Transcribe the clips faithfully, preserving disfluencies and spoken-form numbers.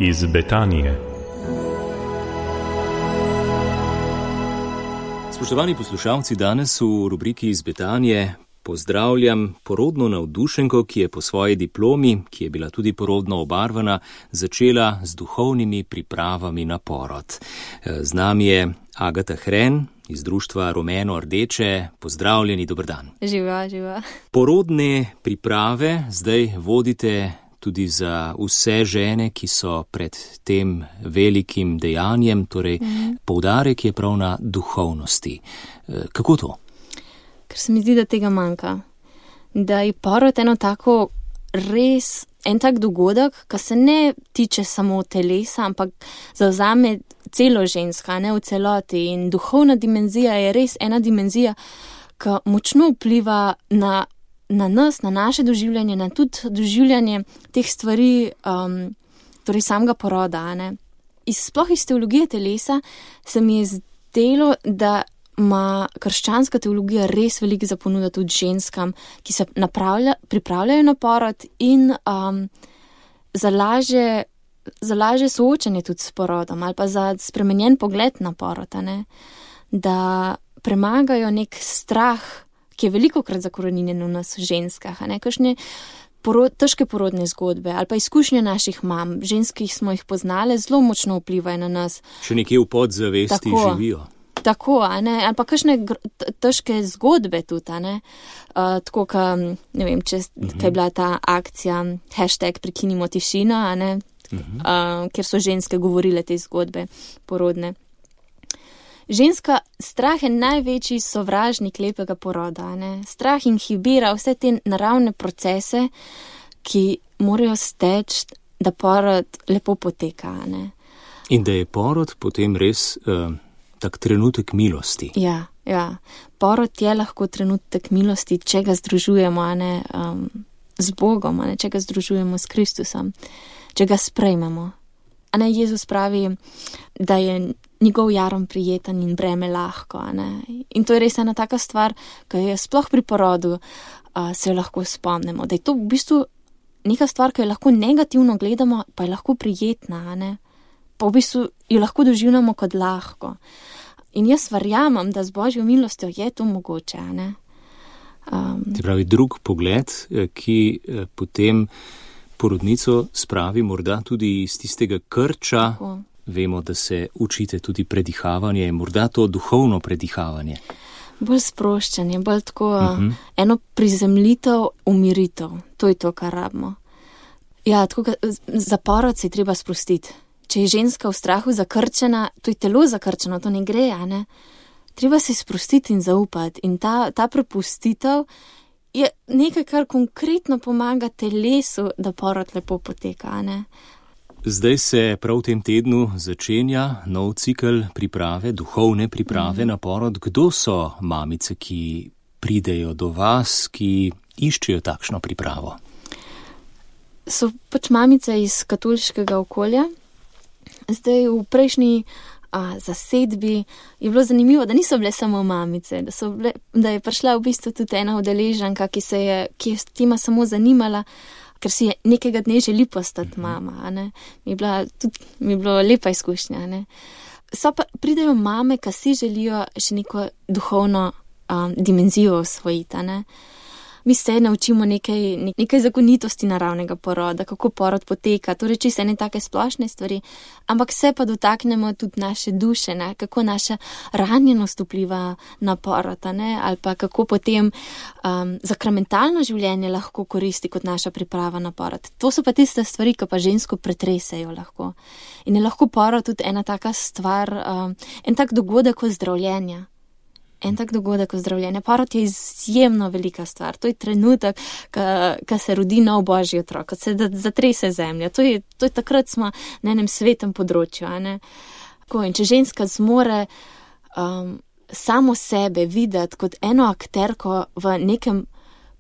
iz Betanije. Spoštovani poslušalci, danes v rubriki iz Betanije pozdravljam porodno navdušenko, ki je po svoji diplomi, ki je bila tudi porodno obarvana, začela z duhovnimi pripravami na porod. Z nami je Agata Hren iz društva Rumeno Rdeče. Pozdravljeni, dober dan. Živa, živa. Porodne priprave zdaj vodite tudi za vse žene, ki so pred tem velikim dejanjem, torej mm. poudarek je prav na duhovnosti. Kako to? Ker se mi zdi, da tega manjka. Da je porod eno tako res, en tak dogodek, ki se ne tiče samo telesa, ampak zavzame celo ženska, ne v celoti. In duhovna dimenzija je res ena dimenzija, ki močno vpliva na na nas, na naše doživljanje, na tudi doživljanje teh stvari, um, torej samega poroda. Ne. Iz, sploh iz teologije telesa se mi je zdelo, da ima krščanska teologija res veliko za ponuda tudi ženskam, ki se pripravljajo na porod in um, za lažje, za lažje soočanje tudi s porodom ali pa za spremenjen pogled na porod, ne. Da premagajo nek strah, ki je veliko krat zakoreninjen v nas ženskah, a ne, kakšne porod, težke porodne zgodbe ali pa izkušnje naših mam, žensk, ki smo jih poznale, zelo močno vplivajo na nas. Še nekje v podzavesti tako živijo. Tako, a ne, ali pa kakšne težke zgodbe tudi, a ne, uh, tako, ka, ne vem, če uh-huh. kaj je bila ta akcija, hashtag prekinimo tišino, a ne, uh-huh. uh, kjer so ženske govorile te zgodbe porodne. Ženska, strah je največji sovražnik lepega poroda, ne? Strah inhibira vse te naravne procese, ki morajo steči, da porod lepo poteka, ne? In da je porod potem res uh, tak trenutek milosti. Ja, ja. Porod je lahko trenutek milosti, če ga združujemo, ne, um, z Bogom, ne, če ga združujemo s Kristusom, če ga sprejmemo. A ne, Jezus pravi, da je njegov jarom prijeten in breme lahko. Ne? In to je res ena taka stvar, ki je sploh pri porodu, uh, se jo lahko spomnimo. Da je to v bistvu neka stvar, ki jo lahko negativno gledamo, pa je lahko prijetna. Ne? Pa v bistvu jo lahko doživljamo kot lahko. In jaz verjamem, da z Božjo milostjo je to mogoče. Ne? Um, Ti pravi drug pogled, ki eh, potem porodnico spravi morda tudi iz tistega krča. Tako. Vemo, da se učite tudi predihavanje, morda to duhovno predihavanje. Bolj sproščanje, bolj tako uh-huh. eno prizemljitev, umiritev. To je to, kar rabimo. Ja, tako za porod se je treba sprostiti. Če je ženska v strahu zakrčena, to je telo zakrčeno, to ne gre, a ne? Treba se sprostiti in zaupati. In ta, ta prepustitev je nekaj, kar konkretno pomaga telesu, da porod lepo poteka, a ne? Zdaj se prav v tem tednu začenja nov cikel priprave, duhovne priprave mm. na porod. Kdo so mamice, ki pridejo do vas, ki iščejo takšno pripravo? So pač mamice iz katoliškega okolja. Zdaj v prejšnji a, zasedbi je bilo zanimivo, da niso bile samo mamice, da, so bile, da je prišla v bistvu tudi ena udeleženka, ki se je, ki je s tema samo zanimala, ker si je nekega dne želi postati mama, a ne. Mi je bila tudi, mi je bilo lepa izkušnja, a ne. So pa pridejo mame, ki si želijo še neko duhovno um, dimenzijo osvojiti, a ne. Mi se naučimo nekaj, nekaj zakonitosti naravnega poroda, kako porod poteka, torej čisto ene take splošne stvari, ampak se pa dotaknemo tudi naše duše, ne? Kako naša ranjenost vpliva na porod, ne? Ali pa kako potem um, zakramentalno življenje lahko koristi kot naša priprava na porod. To so pa tiste stvari, ki pa žensko pretresejo lahko. In je lahko porod tudi ena taka stvar, um, en tak dogodek ozdravljenja. En tak dogodek ozdravljenja. Porod je izjemno velika stvar. To je trenutek, ko se rodi nov Božji otrok, ko se zatrese zemlja. To je, to je takrat smo na enem svetem področju. A ne? In če ženska zmore um, samo sebe videti kot eno akterko v nekem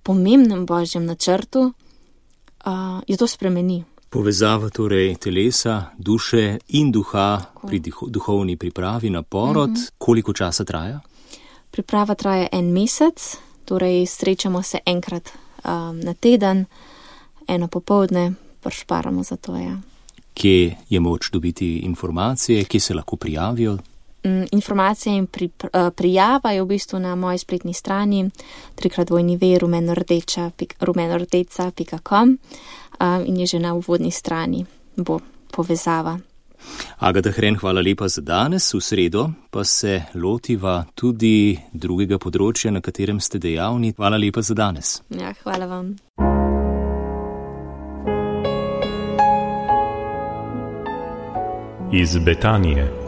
pomembnem Božjem načrtu, uh, je to spremeni. Povezava torej telesa, duše in duha Tako. Pri duhovni pripravi na porod. Mm-hmm. Koliko časa traja? Priprava traja en mesec, torej srečamo se enkrat um, na teden, eno popoldne, pršparamo za to, ja. kje je moč dobiti informacije, kje se lahko prijavijo? Informacije in pri, prijava je v bistvu na moji spletni strani trikrat dvojni ve rumenordeca pika com in je že na uvodni strani bo povezava. Agata Hren, hvala lepa za danes. V sredo pa se lotiva tudi drugega področja, na katerem ste dejavni. Hvala lepa za danes. Ja, hvala vam. Iz Betanije.